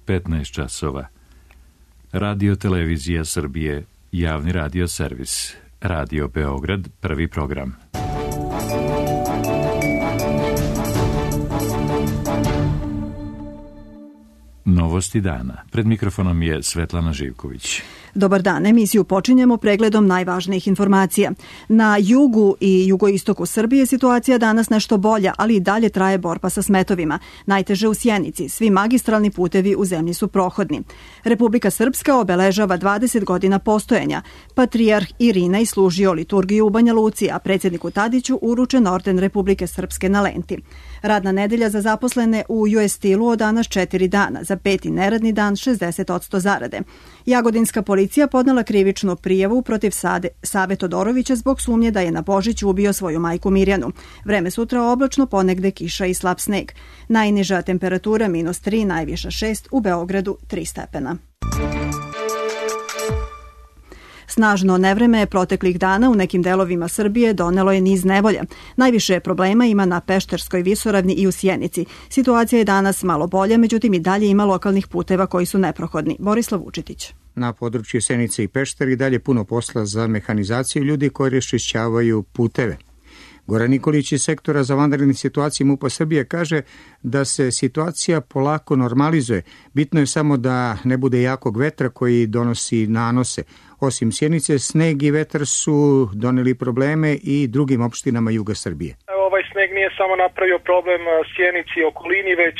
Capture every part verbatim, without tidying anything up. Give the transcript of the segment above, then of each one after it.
petnaest časova. Radio Televizija Srbije, javni radio servis. Radio Beograd, prvi program. Novosti dana. Pred mikrofonom je Svetlana Živković. Dobar dan, emisiju počinjemo pregledom najvažnijih informacija. Na jugu i jugoistoku Srbije situacija danas nešto bolja, ali i dalje traje borba sa smetovima. Najteže u Sjenici, svi magistralni putevi u zemlji su prohodni. Republika Srpska obeležava dvadeset godina postojanja. Patrijarh Irinej služio liturgiju u Banja Luci, a predsjedniku Tadiću uručen orden Republike Srpske na Lenti. Radna nedelja za zaposlene u U S Steel-u od danas četiri dana, za peti neradni dan šezdeset posto zarade. Jagodinska policija podnela krivičnu prijavu protiv Sade, Save Todorovića zbog sumnje da je na Božić ubio svoju majku Mirjanu. Vreme sutra oblačno, ponegde kiša i slab sneg. Najniža temperatura minus tri, najviša šest, u Beogradu tri stepena. Snažno nevreme proteklih dana u nekim delovima Srbije donelo je niz nevolja. Najviše problema ima na Pešterskoj visoravni i u Sjenici. Situacija je danas malo bolja, međutim i dalje ima lokalnih puteva koji su neprohodni. Borislav Vučetić. Na području Sjenice i Pešter i dalje puno posla za mehanizaciju ljudi koji raščišćavaju puteve. Goran Nikolić iz sektora za vanredne situacije MUP-a Srbije kaže da se situacija polako normalizuje. Bitno je samo da ne bude jakog vetra koji donosi nanose. Osim Sjenice, sneg i vetar su doneli probleme i drugim opštinama juga Srbije. Ovaj sneg nije samo napravio problem Sjenici i okolini, već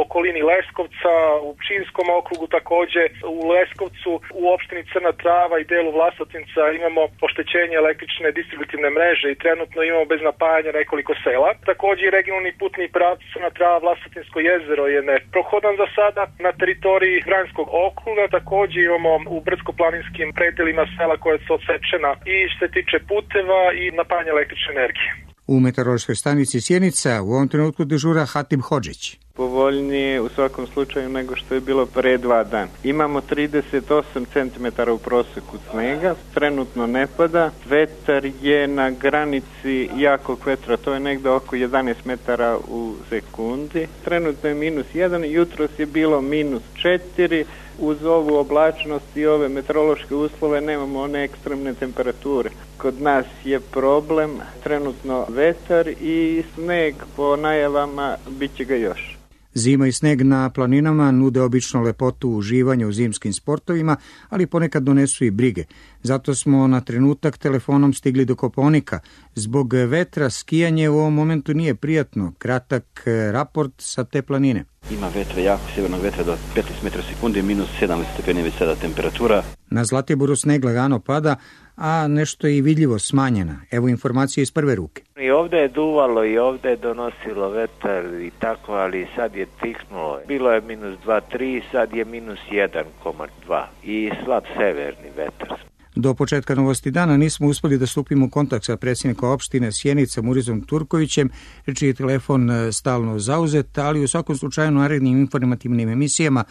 okolini Leskovca, u Pčinjskom okrugu takođe, u Leskovcu, u opštini Crna Trava i delu Vlasotinca imamo oštećenje električne distributivne mreže i trenutno imamo bez napajanja nekoliko sela. Takođe i regionalni putni pravac Crna Trava Vlasotinsko jezero je neprohodan za sada. Na teritoriji Vranjskog okruga takođe imamo u brdsko-planinskim predelima sela koja su odsečena i što se tiče puteva i napajanja električne energije. U meteorološkoj stanici Sjenica u ovom trenutku dežura Hatim Hodžić. Povoljnije u svakom slučaju nego što je bilo pre dva dana. Imamo trideset osam centimetara u proseku snega, trenutno ne pada, vetar je na granici jakog vetra, to je negde oko jedanaest metara u sekundi, trenutno je minus jedan, jutros je bilo minus četiri, uz ovu oblačnost i ove meteorološke uslove nemamo one ekstremne temperature. Kod nas je problem trenutno vetar i sneg, po najavama bit će ga još. Zima i sneg na planinama nude obično lepotu uživanja u zimskim sportovima, ali ponekad donesu i brige. Zato smo na trenutak telefonom stigli do Kopaonika. Zbog vetra skijanje u ovom momentu nije prijatno. Kratak raport sa te planine. Ima vetra, jako sjevernog vetra do petnaest metara sekundi, minus sedam stepeni već sada temperatura. Na Zlatiboru sneg lagano pada, a nešto je i vidljivo smanjena. Evo informacije iz prve ruke. I ovdje je duvalo i ovdje je donosilo vetar i tako, ali sad je tihnulo. Bilo je minus dva tri, sad je minus jedan zarez dva i slab severni vetar. Do početka Novosti dana nismo uspeli da stupimo u kontakt sa predsjednikom opštine Sjenica Murizom Turkovićem, čiji je telefon stalno zauzet, ali u svakom slučaju narednim informativnim emisijama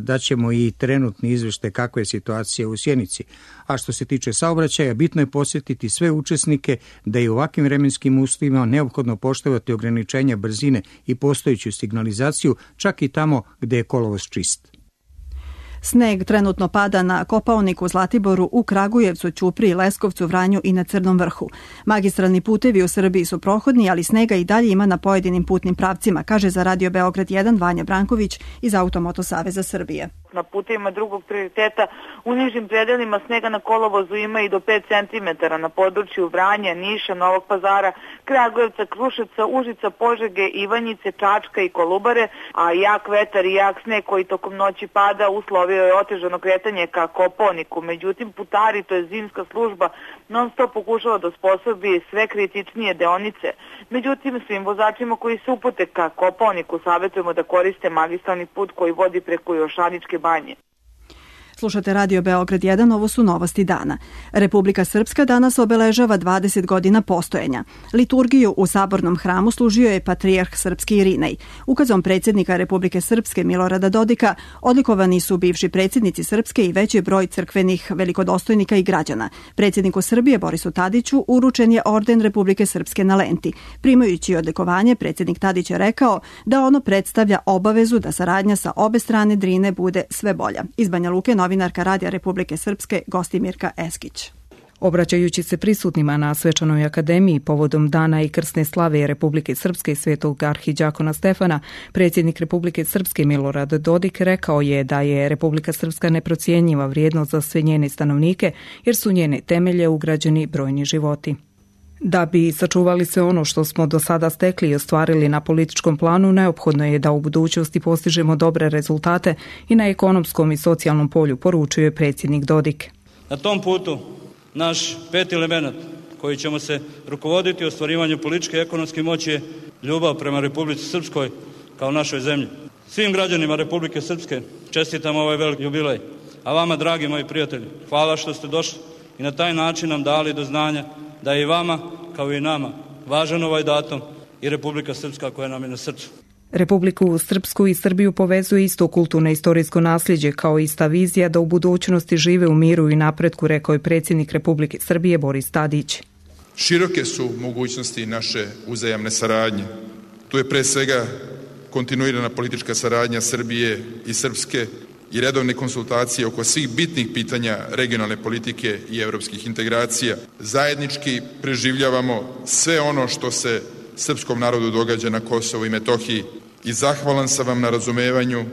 daćemo i trenutni izveštaj kakva je situacija u Sjenici. A što se tiče saobraćaja, bitno je podsjetiti sve učesnike da je u ovakvim vremenskim uslovima neophodno poštovati ograničenja brzine i postojeću signalizaciju, čak i tamo gde je kolovoz čist. Sneg trenutno pada na Kopaoniku, Zlatiboru, u Kragujevcu, Ćupriji, Leskovcu, Vranju i na Crnom Vrhu. Magistralni putevi u Srbiji su prohodni, ali snega i dalje ima na pojedinim putnim pravcima, kaže za Radio Beograd jedan Vanja Branković iz Automoto Saveza Srbije. Na putevima drugog prioriteta u nižim predelima snega na kolovozu ima i do pet centimetara na području Vranja, Niša, Novog Pazara, Kragujevca, Kruševca, Užica, Požege, Ivanjice, Čačka i Kolubare, a jak vetar i jak sneg koji tokom noći pada uslovio je otežano kretanje ka Kopaoniku. Međutim, putari, to je zimska služba, non stop pokušava da osposobi sve kritičnije deonice. Međutim, svim vozačima koji se upute ka Kopaoniku savjetujemo da koriste magistralni put koji vodi preko Jošaničke banje. Slušate Radio Beograd jedan, ovo su novosti dana. Republika Srpska danas obeležava dvadeset godina postojanja. Liturgiju u Sabornom hramu služio je patrijarh srpski Irinej. Ukazom predsjednika Republike Srpske Milorada Dodika odlikovani su bivši predsjednici Srpske i veći broj crkvenih velikodostojnika i građana. Predsjedniku Srbije Borisu Tadiću uručen je orden Republike Srpske na lenti. Primajući odlikovanje, predsjednik Tadić je rekao da ono predstavlja obavezu da saradnja sa obe strane Drine bude sve bolja. Iz Banja Luke novinarka Radija Republike Srpske Gostimirka Eskić. Obraćajući se prisutnima na Svečanoj akademiji povodom dana i krsne slave Republike Srpske i svetog arhidjakona Stefana, predsjednik Republike Srpske Milorad Dodik rekao je da je Republika Srpska neprocijenjiva vrijednost za sve njene stanovnike, jer su njene temelje ugrađeni brojni životi. Da bi sačuvali sve ono što smo do sada stekli i ostvarili na političkom planu, neophodno je da u budućnosti postižemo dobre rezultate i na ekonomskom i socijalnom polju, poručuje predsjednik Dodik. Na tom putu naš peti element koji ćemo se rukovoditi u ostvarivanju političke i ekonomske moći je ljubav prema Republici Srpskoj kao našoj zemlji. Svim građanima Republike Srpske čestitam ovaj veliki jubilej, a vama, dragi moji prijatelji, hvala što ste došli i na taj način nam dali do znanja da je i vama, kao i nama, važan ovaj datum i Republika Srpska koja nam je na srcu. Republiku Srpsku i Srbiju povezuje isto kulturno i istorijsko nasljeđe kao ista vizija da u budućnosti žive u miru i napretku, rekao je predsjednik Republike Srbije Boris Tadić. Široke su mogućnosti naše uzajamne saradnje. Tu je pre svega kontinuirana politička saradnja Srbije i Srpske i redovne konsultacije oko svih bitnih pitanja regionalne politike i evropskih integracija. Zajednički preživljavamo sve ono što se srpskom narodu događa na Kosovu i Metohiji i zahvalan sam vam na razumevanju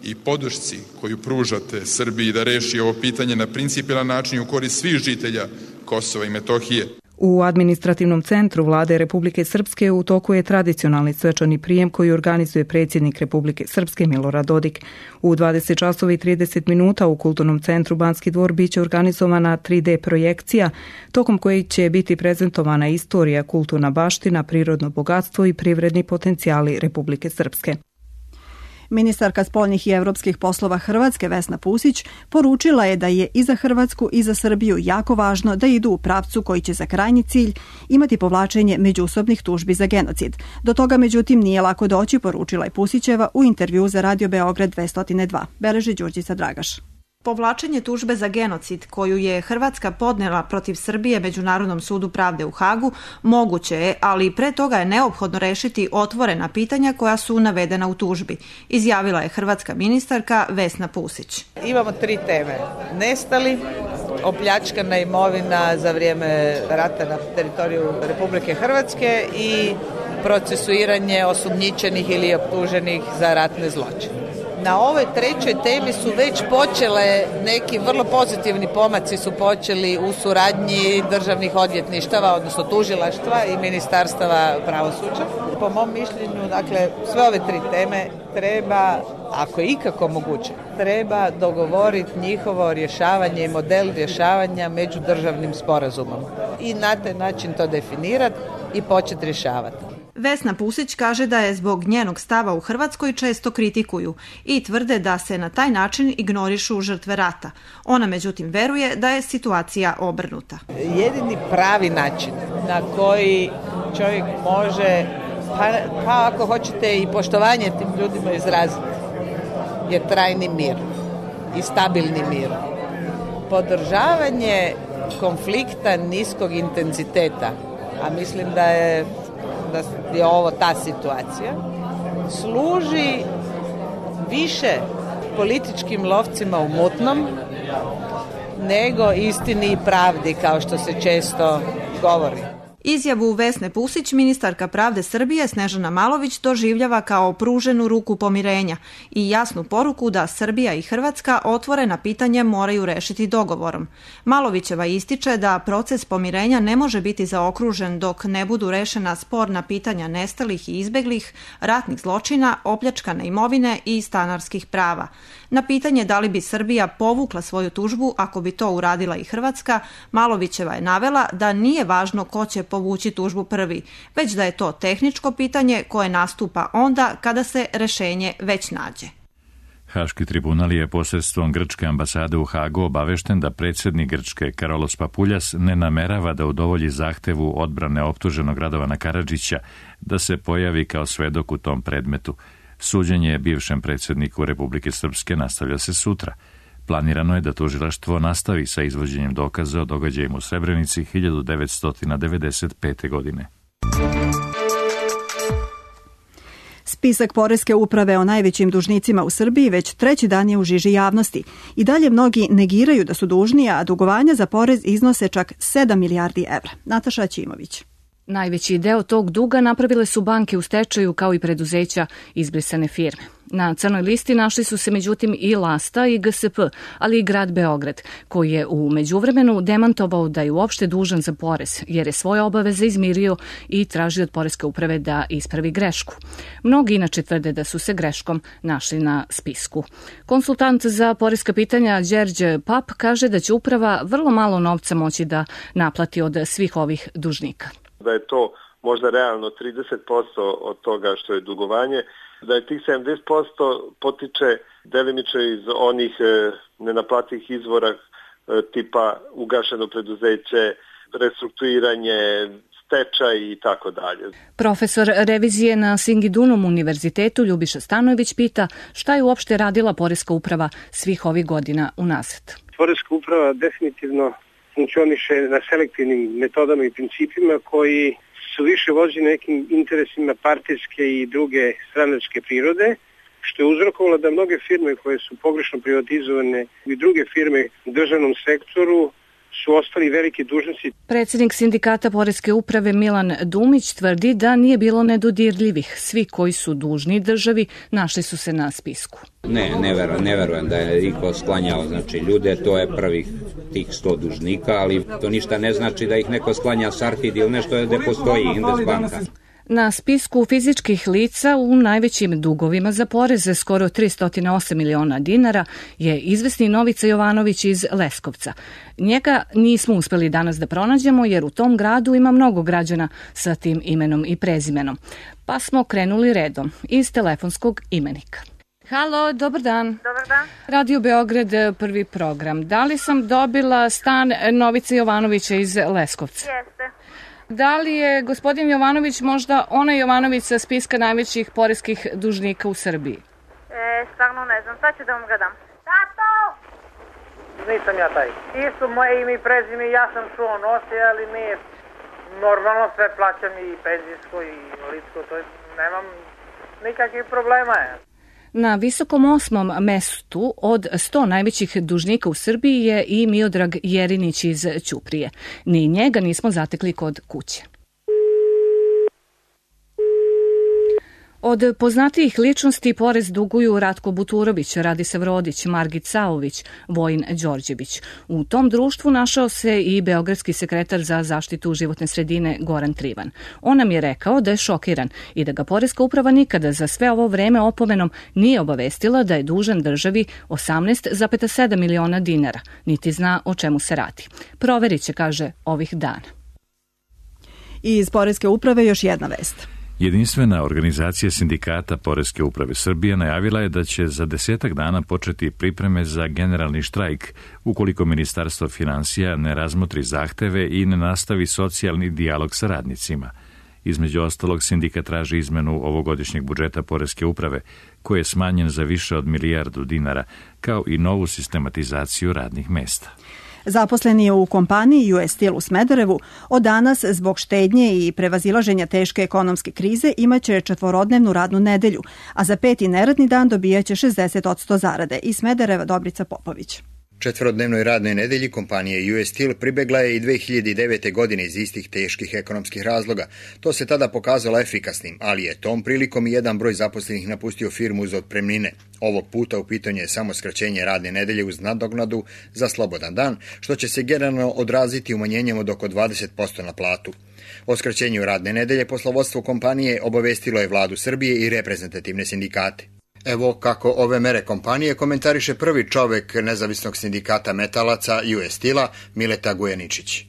i podršci koju pružate Srbiji da reši ovo pitanje na principijelan način u korist svih žitelja Kosova i Metohije. U administrativnom centru Vlade Republike Srpske u toku je tradicionalni svečani prijem koji organizuje predsjednik Republike Srpske Milorad Dodik. U dvadeset časova i trideset minuta u Kulturnom centru Banski dvor biće organizovana tri D projekcija, tokom koje će biti prezentovana istorija, kulturna baština, prirodno bogatstvo i privredni potencijali Republike Srpske. Ministarka spoljnih i evropskih poslova Hrvatske Vesna Pusić poručila je da je i za Hrvatsku i za Srbiju jako važno da idu u pravcu koji će za krajnji cilj imati povlačenje međusobnih tužbi za genocid. Do toga međutim nije lako doći, poručila je Pusićeva u intervju za Radio Beograd dvesta dva. Beleži Đurđica Dragaš. Povlačenje tužbe za genocid koju je Hrvatska podnela protiv Srbije Međunarodnom sudu pravde u Hagu moguće je, ali pre toga je neophodno rešiti otvorena pitanja koja su navedena u tužbi, izjavila je hrvatska ministarka Vesna Pusić. Imamo tri teme. Nestali, opljačkana imovina za vrijeme rata na teritoriju Republike Hrvatske i procesuiranje osumnjičenih ili optuženih za ratne zločine. Na ovoj trećoj temi su već počele neki vrlo pozitivni pomaci su počeli u suradnji državnih odvjetništava, odnosno tužilaštva i ministarstava pravosuđa. Po mom mišljenju, dakle, sve ove tri teme treba, ako je ikako moguće, treba dogovoriti njihovo rješavanje i model rješavanja međudržavnim sporazumom. I na taj način to definirati i početi rješavati. Vesna Pusić kaže da je zbog njenog stava u Hrvatskoj često kritikuju i tvrde da se na taj način ignorišu žrtve rata. Ona međutim veruje da je situacija obrnuta. Jedini pravi način na koji čovjek može, pa, pa ako hoćete i poštovanje tim ljudima izraziti, je trajni mir i stabilni mir. Podržavanje konflikta niskog intenziteta, a mislim da je da je ovo ta situacija, služi više političkim lovcima u mutnom nego istini i pravdi, kao što se često govori. Izjavu Vesne Pusić ministarka pravde Srbije Snežana Malović doživljava kao pruženu ruku pomirenja i jasnu poruku da Srbija i Hrvatska otvorena pitanja moraju rešiti dogovorom. Malovićeva ističe da proces pomirenja ne može biti zaokružen dok ne budu rešena sporna pitanja nestalih i izbeglih, ratnih zločina, opljačkane imovine i stanarskih prava. Na pitanje da li bi Srbija povukla svoju tužbu ako bi to uradila i Hrvatska, Malovićeva je navela da nije važno ko će povući tužbu prvi, već da je to tehničko pitanje koje nastupa onda kada se rešenje već nađe. Haški tribunal je posredstvom grčke ambasade u Hagu obavešten da predsjednik Grčke Karolos Papuljas ne namerava da udovolji zahtevu odbrane optuženog Radovana Karadžića da se pojavi kao svedok u tom predmetu. Suđenje bivšem predsjedniku Republike Srpske nastavlja se sutra. Planirano je da tužilaštvo nastavi sa izvođenjem dokaza o događajima u Srebrenici hiljadu devetsto devedeset pete. godine. Spisak Poreske uprave o najvećim dužnicima u Srbiji već treći dan je u žiži javnosti. I dalje mnogi negiraju da su dužni, a dugovanja za porez iznose čak sedam milijardi evra. Nataša Ćimović. Najveći deo tog duga napravile su banke u stečaju kao i preduzeća izbrisane firme. Na crnoj listi našli su se međutim i Lasta i G S P, ali i grad Beograd, koji je u međuvremenu demantovao da je uopšte dužan za porez, jer je svoje obaveze izmirio i traži od Poreske uprave da ispravi grešku. Mnogi inače tvrde da su se greškom našli na spisku. Konsultant za poreska pitanja Đerđe Pap kaže da će uprava vrlo malo novca moći da naplati od svih ovih dužnika. Da je to možda realno trideset posto od toga što je dugovanje, da je tih sedamdeset posto potiče delimično iz onih e, nenaplativih izvora e, tipa ugašeno preduzeće, restrukturiranje, stečaj i tako dalje. Profesor revizije na Singidunum univerzitetu Ljubiša Stanojević pita šta je uopšte radila Poreska uprava svih ovih godina unazad. Poreska uprava definitivno funkcioniše na selektivnim metodama i principima koji su više vođeni nekim interesima partijske i druge stranačke prirode, što je uzrokovalo da mnoge firme koje su pogrešno privatizovane i druge firme u državnom sektoru su ostali veliki dužnici. Predsjednik sindikata Poreske uprave Milan Dumić tvrdi da nije bilo nedodirljivih. Svi koji su dužni državi našli su se na spisku. Ne, ne verujem, ne verujem da je iko sklanjao znači, ljude, to je prvih tih sto dužnika, ali to ništa ne znači da ih neko sklanja Sartid ili nešto gde postoji Indesbanka. Na spisku fizičkih lica u najvećim dugovima za poreze, skoro tristo osam miliona dinara, je izvesni Novica Jovanović iz Leskovca. Njega nismo uspeli danas da pronađemo jer u tom gradu ima mnogo građana sa tim imenom i prezimenom. Pa smo krenuli redom iz telefonskog imenika. Halo, dobar dan. Dobar dan. Radio Beograd, prvi program. Da li sam dobila stan Novice Jovanovića iz Leskovca? Jeste. Da li je gospodin Jovanović možda onaj Jovanović sa spiska najvećih poreskih dužnika u Srbiji? E, stvarno ne znam, sad ću da vam ga dam. Tato! Nisam ja taj. Isto moje ime i prezime, ja sam čuo nosi, ali mi normalno sve plaćam i penzijsko i invalidsko, to je, nemam nikakvih problema. Na visokom osmom mestu od sto najvećih dužnika u Srbiji je i Miodrag Jerinić iz Ćuprije. Ni njega nismo zatekli kod kuće. Od poznatijih ličnosti porez duguju Ratko Buturović, Radisav Rodić, Margit Saović, Vojin Đorđević. U tom društvu našao se i beogradski sekretar za zaštitu životne sredine Goran Trivan. On nam je rekao da je šokiran i da ga Poreska uprava nikada za sve ovo vreme opomenom nije obavestila da je dužan državi osamnaest zarez sedam miliona dinara, niti zna o čemu se radi. Proverit će, kaže, ovih dana. I iz Poreske uprave još jedna vest. Jedinstvena organizacija sindikata Poreske uprave Srbije najavila je da će za desetak dana početi pripreme za generalni štrajk ukoliko Ministarstvo finansija ne razmotri zahteve i ne nastavi socijalni dijalog sa radnicima. Između ostalog, sindikat traži izmenu ovogodišnjeg budžeta Poreske uprave, koji je smanjen za više od milijardu dinara, kao i novu sistematizaciju radnih mesta. Zaposleni u kompaniji U S Steel u Smederevu od danas zbog štednje i prevazilaženja teške ekonomske krize imaće četvorodnevnu radnu nedelju, a za peti neradni dan dobijaće šezdeset posto zarade. Iz Smedereva Dobrica Popović. Četvorodnevnoj radnoj nedelji kompanije U S Steel pribegla je i dve hiljade devete. godine iz istih teških ekonomskih razloga. To se tada pokazalo efikasnim, ali je tom prilikom i jedan broj zaposlenih napustio firmu uz otpremnine. Ovog puta u pitanju je samo skraćenje radne nedelje uz nadoknadu za slobodan dan, što će se generalno odraziti umanjenjem od oko dvadeset posto na platu. O skraćenju radne nedelje poslovodstvo kompanije obavestilo je vladu Srbije i reprezentativne sindikate. Evo kako ove mere kompanije komentariše prvi čovek nezavisnog sindikata metalaca U S Steel-a, Mileta Gujaničić.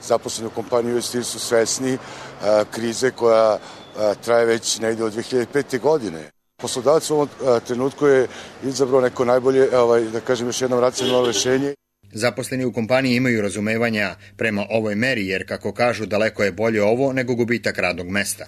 Zaposleni u kompaniji U S Steel su svesni a, krize koja a, traje već negde od dve hiljade pete. godine. Poslodavac u ovom trenutku je izabrao neko najbolje, ovaj, da kažem još jednom, racionalno rešenje. Zaposleni u kompaniji imaju razumevanja prema ovoj meri, jer kako kažu daleko je bolje ovo nego gubitak radnog mesta.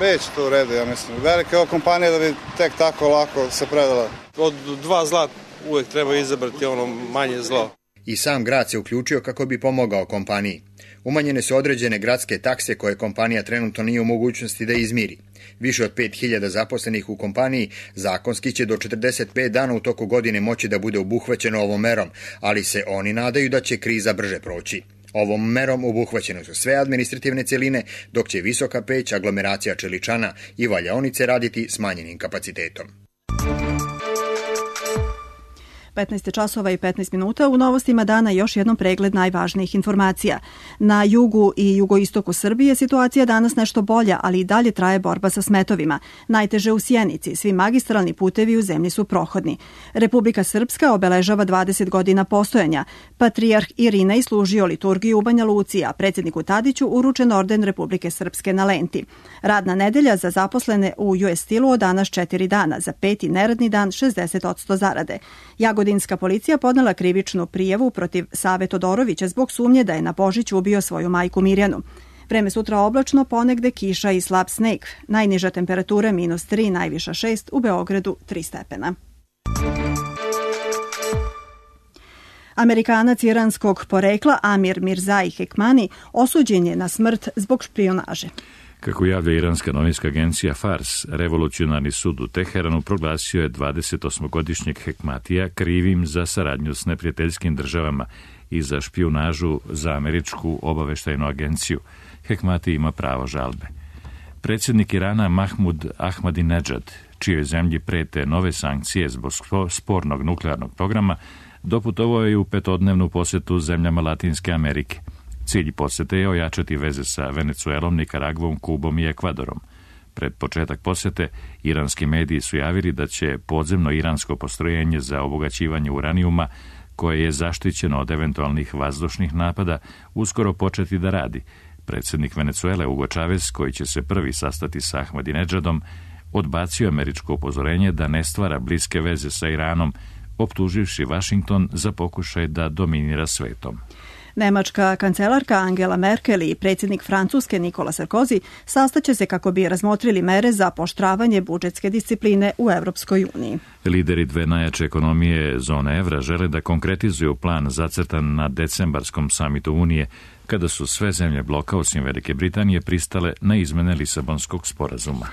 Već to u redu, ja mislim. Velika ova kompanija da bi tek tako lako se predala. Od dva zla uvek treba izabrati ono manje zlo. I sam grad se uključio kako bi pomogao kompaniji. Umanjene su određene gradske takse koje kompanija trenutno nije u mogućnosti da izmiri. Više od pet hiljada zaposlenih u kompaniji zakonski će do četrdeset pet dana u toku godine moći da bude obuhvaćeno ovom merom, ali se oni nadaju da će kriza brže proći. Ovom merom obuhvaćene su sve administrativne celine, dok će Visoka Peć, aglomeracija Čeličana i valjaonice raditi smanjenim kapacitetom. petnaest časova i petnaest minuta. U novostima dana još jednom pregled najvažnijih informacija. Na jugu i jugoistoku Srbije situacija danas nešto bolja, ali i dalje traje borba sa smetovima. Najteže u Sjenici, svi magistralni putevi u zemlji su prohodni. Republika Srpska obeležava dvadeset godina postojanja. Patrijarh Irinej služio liturgiju u Banja Luci, a predsjedniku Tadiću uručen orden Republike Srpske na Lenti. Radna nedelja za zaposlene u U S Steel-u od danas četiri dana, za peti neradni dan šezdeset posto zarade. Jagodinska policija podnela krivičnu prijavu protiv Save Todorovića zbog sumnje da je na Božić ubio svoju majku Mirjanu. Vreme sutra oblačno, ponegde kiša i slab sneg. Najniža temperatura minus tri, najviša šest, u Beogradu tri stepena. Amerikanac iranskog porekla Amir Mirzai Hekmani osuđen je na smrt zbog špijunaže. Kako javlja iranska novinska agencija Fars, revolucionarni sud u Teheranu proglasio je dvadesetosmogodišnjeg Hekmatija krivim za saradnju s neprijateljskim državama i za špijunažu za američku obaveštajnu agenciju. Hekmati ima pravo žalbe. Predsjednik Irana Mahmud Ahmadinejad, čijoj zemlji prete nove sankcije zbog spornog nuklearnog programa, doputovao je u petodnevnu posjetu zemljama Latinske Amerike. Cilj posete je ojačati veze sa Venecuelom, Nikaragvom, Kubom i Ekvadorom. Pred početak posete, iranski mediji su javili da će podzemno iransko postrojenje za obogaćivanje uranijuma, koje je zaštićeno od eventualnih vazdušnih napada, uskoro početi da radi. Predsjednik Venecuele Hugo Chavez, koji će se prvi sastati sa Ahmadinejadom, odbacio američko upozorenje da ne stvara bliske veze sa Iranom, optuživši Washington za pokušaj da dominira svetom. Nemačka kancelarka Angela Merkel i predsjednik Francuske Nikola Sarkozy sastaće se kako bi razmotrili mere za pooštravanje budžetske discipline u Europskoj uniji. Lideri dve najjače ekonomije zone evra žele da konkretizuju plan zacrtan na decembarskom samitu Unije, kada su sve zemlje bloka osim Velike Britanije pristale na izmene Lisabonskog sporazuma.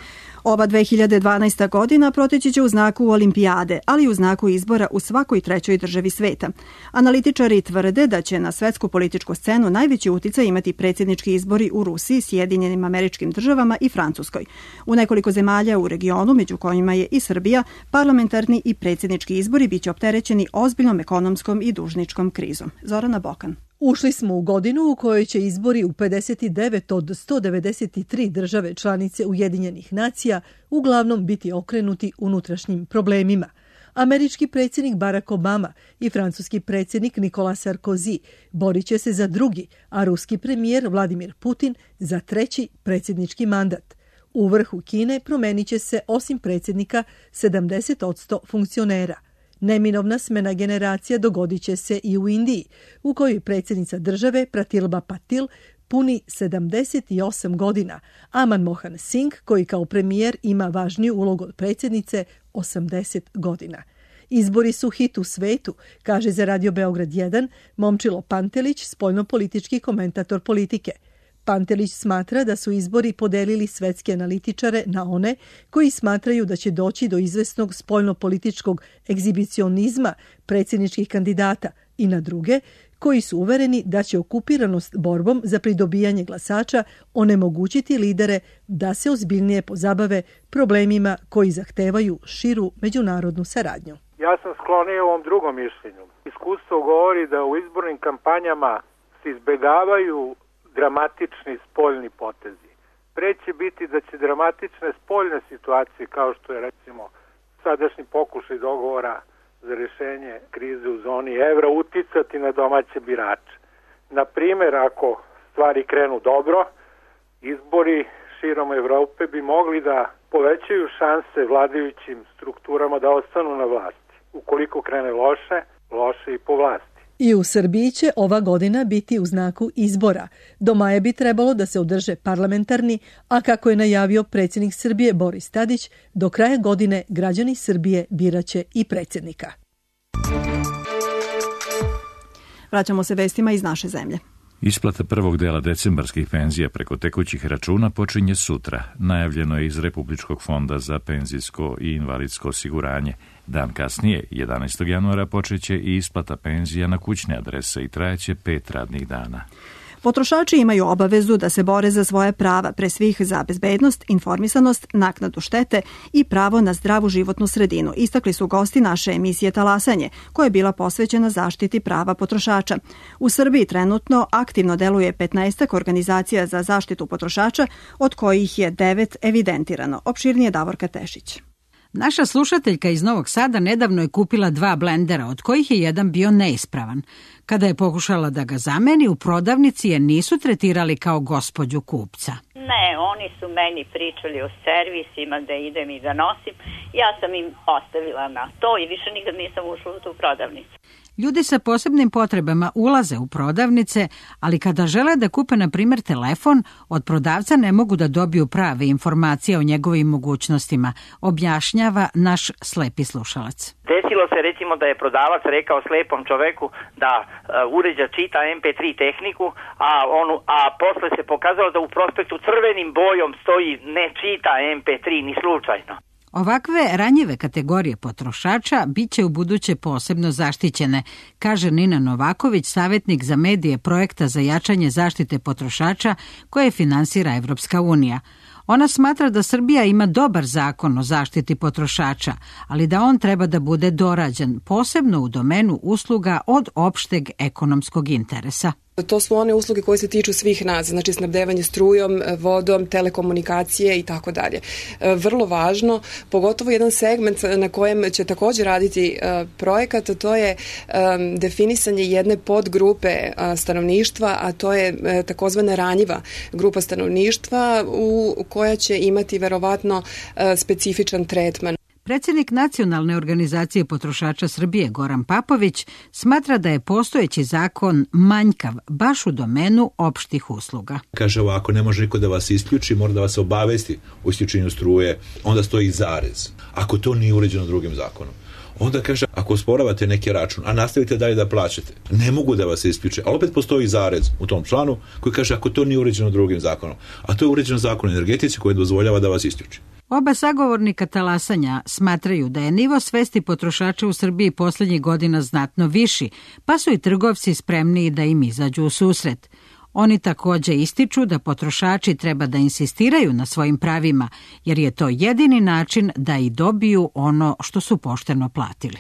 Ova dve hiljade dvanaesta godina proteći će u znaku olimpijade, ali i u znaku izbora u svakoj trećoj državi sveta. Analitičari tvrde da će na svetsku političku scenu najveći uticaj imati predsjednički izbori u Rusiji, Sjedinjenim Američkim Državama i Francuskoj. U nekoliko zemalja u regionu, među kojima je i Srbija, parlamentarni i predsjednički izbori biće opterećeni ozbiljnom ekonomskom i dužničkom krizom. Zorana Bokan. Ušli smo u godinu u kojoj će izbori u pedeset devet od sto devedeset tri države članice Ujedinjenih nacija uglavnom biti okrenuti unutrašnjim problemima. Američki predsjednik Barack Obama i francuski predsjednik Nicolas Sarkozy borit će se za drugi, a ruski premijer Vladimir Putin za treći predsjednički mandat. U vrhu Kine promenit će se osim predsjednika sedamdeset posto funkcionera. Neminovna smena generacija dogodit će se i u Indiji, u kojoj predsjednica države Pratilba Patil puni sedamdeset osam godina, a Manmohan Singh, koji kao premijer ima važniju ulogu od predsjednice, osamdeset godina. Izbori su hit u svetu, kaže za Radio Beograd jedan Momčilo Pantelić, spoljnopolitički komentator politike. Pantelić smatra da su izbori podelili svetske analitičare na one koji smatraju da će doći do izvesnog spoljnopolitičkog egzibicionizma predsjedničkih kandidata i na druge koji su uvereni da će okupiranost borbom za pridobijanje glasača onemogućiti lidere da se ozbiljnije pozabave problemima koji zahtevaju širu međunarodnu saradnju. Ja sam sklonio ovom drugom mišljenju. Iskustvo govori da u izbornim kampanjama se izbegavaju dramatični spoljni potezi. Pre će biti da će dramatične spoljne situacije, kao što je recimo sadašnji pokušaj dogovora za rješenje krize u zoni evra, uticati na domaće birače. Na primjer, ako stvari krenu dobro, izbori širom Evrope bi mogli da povećaju šanse vladajućim strukturama da ostanu na vlasti. Ukoliko krene loše, loše i po vlasti. I u Srbiji će ova godina biti u znaku izbora. Do maja bi trebalo da se održe parlamentarni, a kako je najavio predsjednik Srbije Boris Tadić, do kraja godine građani Srbije biraće i predsjednika. Vraćamo se vestima iz naše zemlje. Isplata prvog dela decembarskih penzija preko tekućih računa počinje sutra. Najavljeno je iz Republičkog fonda za penzijsko i invalidsko osiguranje. Dan kasnije, jedanaestog januara, počeće i isplata penzija na kućne adrese i trajeće pet radnih dana. Potrošači imaju obavezu da se bore za svoje prava, pre svih za bezbednost, informisanost, naknadu štete i pravo na zdravu životnu sredinu, istakli su gosti naše emisije Talasanje, koja je bila posvećena zaštiti prava potrošača. U Srbiji trenutno aktivno deluje petnaestak organizacija za zaštitu potrošača, od kojih je devet evidentirano. Opširnije Davorka Tešić. Naša slušateljka iz Novog Sada nedavno je kupila dva blendera, od kojih je jedan bio neispravan. Kada je pokušala da ga zameni, u prodavnici je nisu tretirali kao gospođu kupca. Ne, oni su meni pričali o servisima, da idem i da nosim. Ja sam im ostavila na to i više nikad nisam ušla u tu prodavnicu. Ljudi sa posebnim potrebama ulaze u prodavnice, ali kada žele da kupe, na primjer, telefon, od prodavca ne mogu da dobiju prave informacije o njegovim mogućnostima, objašnjava naš slepi slušalac. Desilo se recimo da je prodavac rekao slepom čoveku da uh, uređač čita em pe tri tehniku, a, onu, a posle se pokazalo da u prospektu crvenim bojom stoji ne čita em pe tri ni slučajno. Ovakve ranjive kategorije potrošača bit će u buduće posebno zaštićene, kaže Nina Novaković, savjetnik za medije projekta za jačanje zaštite potrošača koje finansira Evropska unija. Ona smatra da Srbija ima dobar zakon o zaštiti potrošača, ali da on treba da bude dorađen, posebno u domenu usluga od opšteg ekonomskog interesa. To su one usluge koje se tiču svih nas, znači snabdevanje strujom, vodom, telekomunikacije i tako dalje. Vrlo važno, pogotovo jedan segment na kojem će također raditi projekat, to je definisanje jedne podgrupe stanovništva, a to je takozvana ranjiva grupa stanovništva u koja će imati verovatno specifičan tretman. Predsjednik Nacionalne organizacije potrošača Srbije Goran Papović smatra da je postojeći zakon manjkav baš u domenu opštih usluga. Kaže ovako, ne može niko da vas isključi, mora da vas obavesti o isključenju struje, onda stoji zarez. Ako to nije uređeno drugim zakonom. Onda kaže, ako osporavate neki račun, a nastavite dalje da plaćate, ne mogu da vas isključe, ali opet postoji zarez u tom članu koji kaže ako to nije uređeno drugim zakonom. A to je uređeno zakon o energetici koji dozvoljava da vas isključi. Oba sagovornika talasanja smatraju da je nivo svesti potrošača u Srbiji posljednjih godina znatno viši, pa su i trgovci spremniji da im izađu u susret. Oni također ističu da potrošači treba da insistiraju na svojim pravima, jer je to jedini način da i dobiju ono što su pošteno platili.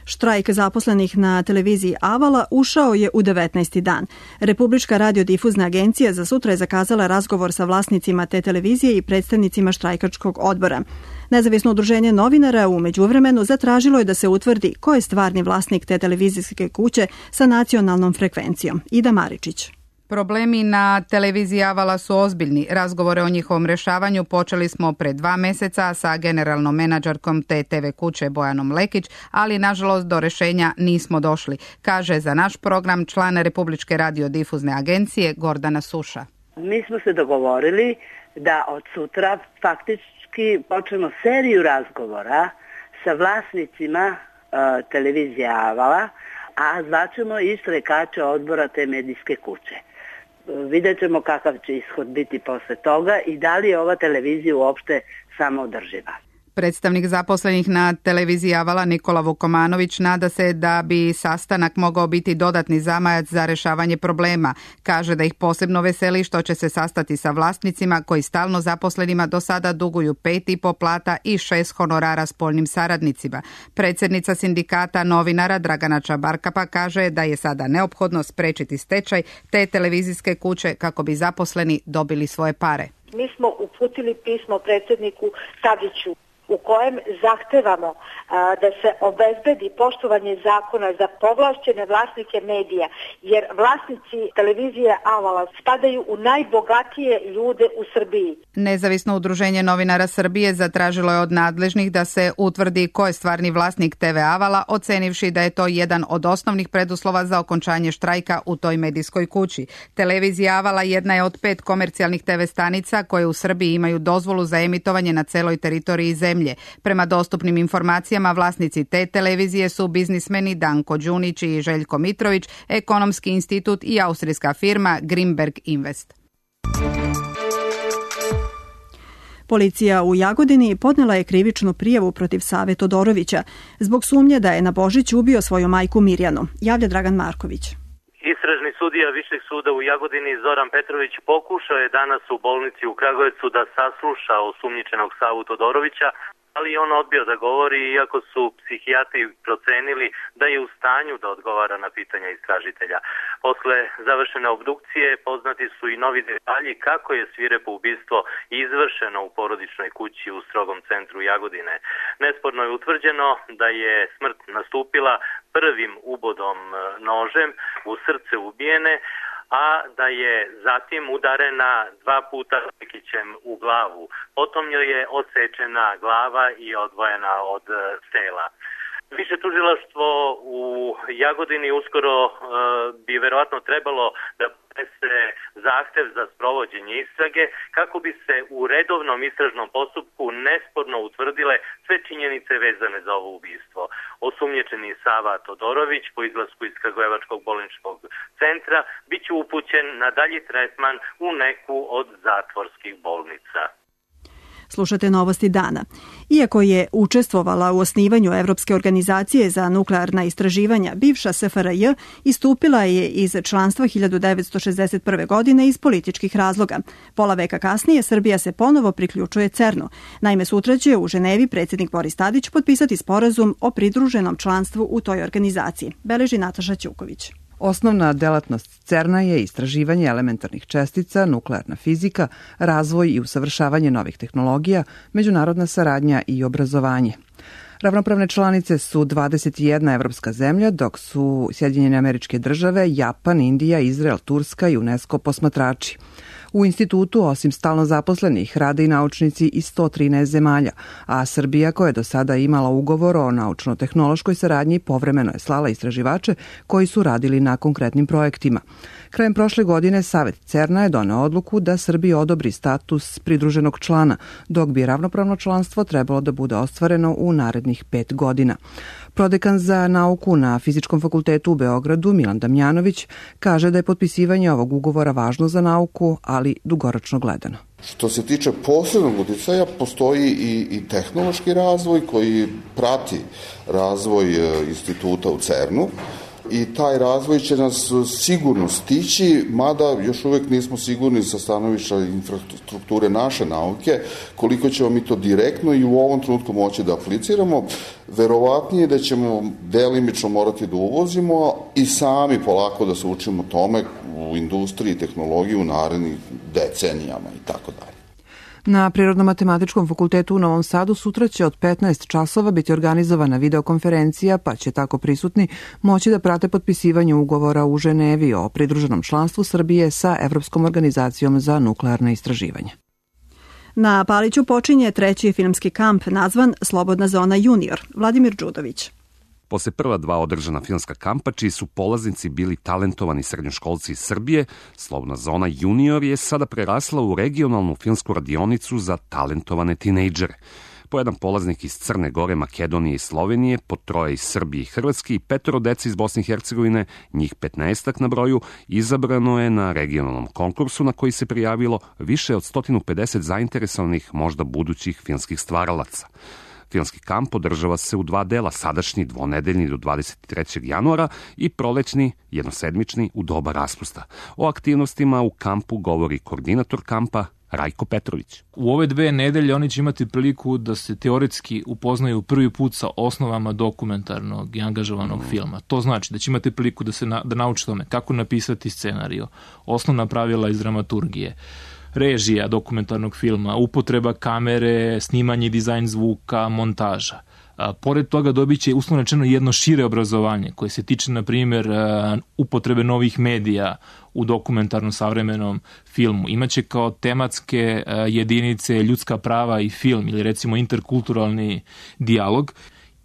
Štrajk zaposlenih na televiziji Avala ušao je u devetnaesti dan. Republička radiodifuzna agencija za sutra je zakazala razgovor sa vlasnicima te televizije i predstavnicima štrajkačkog odbora. Nezavisno udruženje novinara u međuvremenu zatražilo je da se utvrdi ko je stvarni vlasnik te televizijske kuće sa nacionalnom frekvencijom. Ida Maričić. Problemi na televiziji Avala su ozbiljni. Razgovore o njihovom rešavanju počeli smo pre dva meseca sa generalnom menadžerkom te te ve kuće Bojanom Lekić, ali nažalost do rešenja nismo došli, kaže za naš program član Republičke radiodifuzne agencije Gordana Suša. Mi smo se dogovorili da od sutra faktički počnemo seriju razgovora sa vlasnicima uh, televizije Avala, a zvaćemo i štrajkače odbora te medijske kuće. Vidjet ćemo kakav će ishod biti posle toga i da li je ova televizija uopšte samoodrživa. Predstavnik zaposlenih na televiziji Avala Nikola Vukomanović nada se da bi sastanak mogao biti dodatni zamajac za rešavanje problema. Kaže da ih posebno veseli što će se sastati sa vlasnicima koji stalno zaposlenima do sada duguju pet i po plata i šest honorara spoljnim saradnicima. Predsjednica sindikata novinara Dragana Čabarkapa kaže da je sada neophodno sprečiti stečaj te televizijske kuće kako bi zaposleni dobili svoje pare. Mi smo uputili pismo predsjedniku Tadiću u kojem zahtevamo a, da se obezbedi poštovanje zakona za povlašćene vlasnike medija, jer vlasnici televizije Avala spadaju u najbogatije ljude u Srbiji. Nezavisno udruženje novinara Srbije zatražilo je od nadležnih da se utvrdi ko je stvarni vlasnik te ve Avala, ocenivši da je to jedan od osnovnih preduslova za okončanje štrajka u toj medijskoj kući. Televizija Avala jedna je od pet komercijalnih te ve stanica koje u Srbiji imaju dozvolu za emitovanje na celoj teritoriji zemlje. Prema dostupnim informacijama, vlasnici te televizije su biznismeni Danko Đunić i Željko Mitrović, Ekonomski institut i austrijska firma Grimberg Invest. Policija u Jagodini podnela je krivičnu prijavu protiv Save Todorovića zbog sumnje da je na Božić ubio svoju majku Mirjanu, javlja Dragan Marković. Istražni sudija Višeg suda u Jagodini Zoran Petrović pokušao je danas u bolnici u Kragujevcu da sasluša osumnjičenog Savu Todorovića, ali on odbio da govori iako su psihijatri procenili da je u stanju da odgovara na pitanja istražitelja. Posle završene obdukcije poznati su i novi detalji kako je svirepo ubistvo izvršeno u porodičnoj kući u strogom centru Jagodine. Nesporno je utvrđeno da je smrt nastupila prvim ubodom nožem u srce ubijene, a da je zatim udarena dva puta pekićem u glavu. Potom joj je odsečena glava i odvojena od tela. Više tužilaštvo u Jagodini uskoro uh, bi verovatno trebalo da se zahtev za sprovođenje istrage kako bi se u redovnom istražnom postupku nesporno utvrdile sve činjenice vezane za ovo ubistvo. Osumnjičeni Sava Todorović po izlasku iz Kragujevačkog bolničkog centra biće upućen na dalji tretman u neku od zatvorskih bolnica. Slušate Novosti dana. Iako je učestvovala u osnivanju Evropske organizacije za nuklearna istraživanja, bivša es ef er je istupila je iz članstva hiljadu devetsto šezdeset prve. godine iz političkih razloga. Pola veka kasnije Srbija se ponovo priključuje cernu. Naime, sutra će u Ženevi predsjednik Boris Tadić potpisati sporazum o pridruženom članstvu u toj organizaciji, beleži Nataša Ćuković. Osnovna delatnost cerna je istraživanje elementarnih čestica, nuklearna fizika, razvoj i usavršavanje novih tehnologija, međunarodna saradnja i obrazovanje. Ravnopravne članice su dvadeset jedna evropska zemlja, dok su Sjedinjene Američke Države, Japan, Indija, Izrael, Turska i UNESCO posmatrači. U institutu, osim stalno zaposlenih, rade i naučnici iz sto trinaest zemalja, a Srbija, koja je do sada imala ugovor o naučno-tehnološkoj saradnji, povremeno je slala istraživače koji su radili na konkretnim projektima. Krajem prošle godine Savet cerna je doneo odluku da Srbiji odobri status pridruženog člana, dok bi ravnopravno članstvo trebalo da bude ostvareno u narednih pet godina. Prodekan za nauku na Fizičkom fakultetu u Beogradu, Milan Damjanović, kaže da je potpisivanje ovog ugovora važno za nauku, ali dugoročno gledano. Što se tiče posebnog uticaja, postoji i, i tehnološki razvoj koji prati razvoj instituta u cernu i taj razvoj će nas sigurno stići, mada još uvek nismo sigurni sa stanovišta infrastrukture naše nauke, koliko ćemo mi to direktno i u ovom trenutku moći da apliciramo. Verovatnije da ćemo delimično morati da uvozimo i sami polako da se učimo tome u industriji i tehnologiji u narednih decenijama i tako dalje. Na Prirodno-matematičkom fakultetu u Novom Sadu sutra će od petnaest časova biti organizovana videokonferencija, pa će tako prisutni moći da prate potpisivanje ugovora u Ženevi o pridruženom članstvu Srbije sa Evropskom organizacijom za nuklearne istraživanja. Na Paliću počinje treći filmski kamp nazvan Slobodna zona junior. Vladimir Đudović. Posle prva dva održana filmska kampa, čiji su polaznici bili talentovani srednjoškolci iz Srbije, Slobodna zona junior je sada prerasla u regionalnu filmsku radionicu za talentovane tinejdžere. Po jedan polaznik iz Crne Gore, Makedonije i Slovenije, po troje iz Srbije i Hrvatske i petoro dece iz Bosne i Hercegovine, njih petnaestak na broju, izabrano je na regionalnom konkursu na koji se prijavilo više od sto pedeset zainteresovanih možda budućih filmskih stvaralaca. Filmski kamp održava se u dva dela, sadašnji dvonedeljni do dvadeset trećeg januara i prolećni jednosedmični u doba raspusta. O aktivnostima u kampu govori koordinator kampa Rajko Petrović. U ove dve nedelje oni će imati priliku da se teoretski upoznaju prvi put sa osnovama dokumentarnog i angažovanog mm. filma. To znači da će imati priliku da se na, da nauči tome kako napisati scenarijo, osnovna pravila iz dramaturgije, režija dokumentarnog filma, upotreba kamere, snimanje, dizajn zvuka, montaža. A, pored toga dobit će uslovno rečeno jedno šire obrazovanje koje se tiče, na primjer, upotrebe novih medija u dokumentarnom savremenom filmu. Imaće kao tematske jedinice ljudska prava i film ili recimo interkulturalni dijalog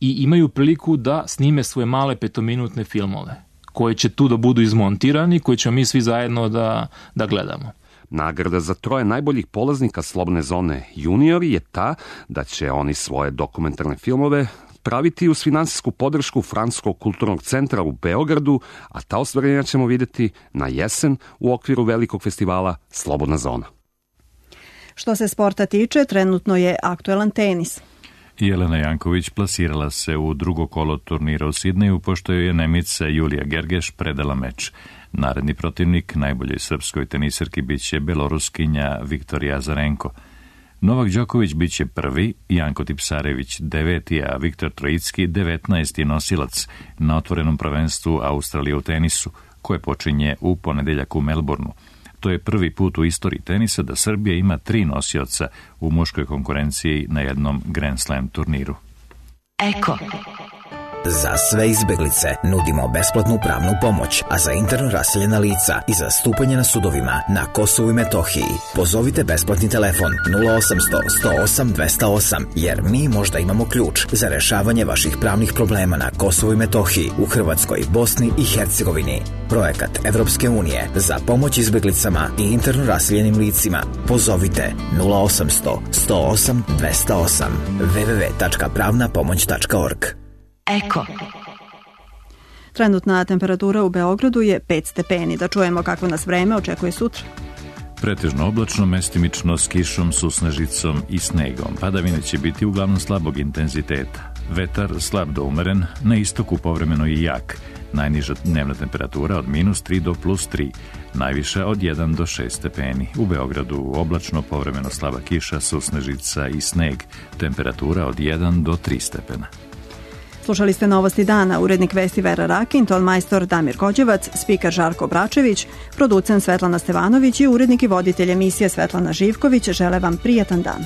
i imaju priliku da snime svoje male petominutne filmove koji će tu da budu izmontirani, koji ćemo mi svi zajedno da, da gledamo. Nagrada za troje najboljih polaznika Slobodne zone juniori je ta da će oni svoje dokumentarne filmove praviti uz finansijsku podršku Francuskog kulturnog centra u Beogradu, a ta ostvarenja ćemo vidjeti na jesen u okviru velikog festivala Slobodna zona. Što se sporta tiče, trenutno je aktuelan tenis. Jelena Janković plasirala se u drugo kolo turnira u Sidneju, pošto je Nemica Julija Gergeš predala meč. Naredni protivnik najboljoj srpskoj teniserki biće beloruskinja Viktorija Azarenko. Novak Đoković biće prvi, Janko Tipsarević deveti, a Viktor Trojicki devetnaesti nosilac na otvorenom prvenstvu Australije u tenisu, koje počinje u ponedeljak u Melbourneu. To je prvi put u istoriji tenisa da Srbija ima tri nosioca u muškoj konkurenciji na jednom Grand Slam turniru. Eko. Za sve izbeglice nudimo besplatnu pravnu pomoć, a za interno raseljena lica i zastupanje na sudovima na Kosovu i Metohiji pozovite besplatni telefon nula osamsto sto osam dvesta osam, jer mi možda imamo ključ za rešavanje vaših pravnih problema na Kosovu i Metohiji, u Hrvatskoj, Bosni i Hercegovini. Projekat Evropske unije za pomoć izbeglicama i interno raseljenim licima. Pozovite nula osamsto sto osam dvesta osam w w w tačka pravna pomoć tačka org. Eko. Trenutna temperatura u Beogradu je pet stepeni. Da čujemo kako nas vreme očekuje sutra. Pretežno oblačno, mestimično s kišom, susnežicom i snegom. Padavine će biti uglavnom slabog intenziteta. Vetar slab do umeren, na istoku povremeno i jak. Najniža dnevna temperatura od minus tri do plus tri, najviša od jedan do šest stepeni. U Beogradu oblačno, povremeno slaba kiša, susnežica i sneg. Temperatura od jedan do tri stepena. Slušali ste Novosti dana, urednik vesti Vera Rakin, tonmajstor Damir Kođevac, spiker Žarko Bračević, producent Svetlana Stevanović i urednik i voditelj emisije Svetlana Živković žele vam prijatan dan.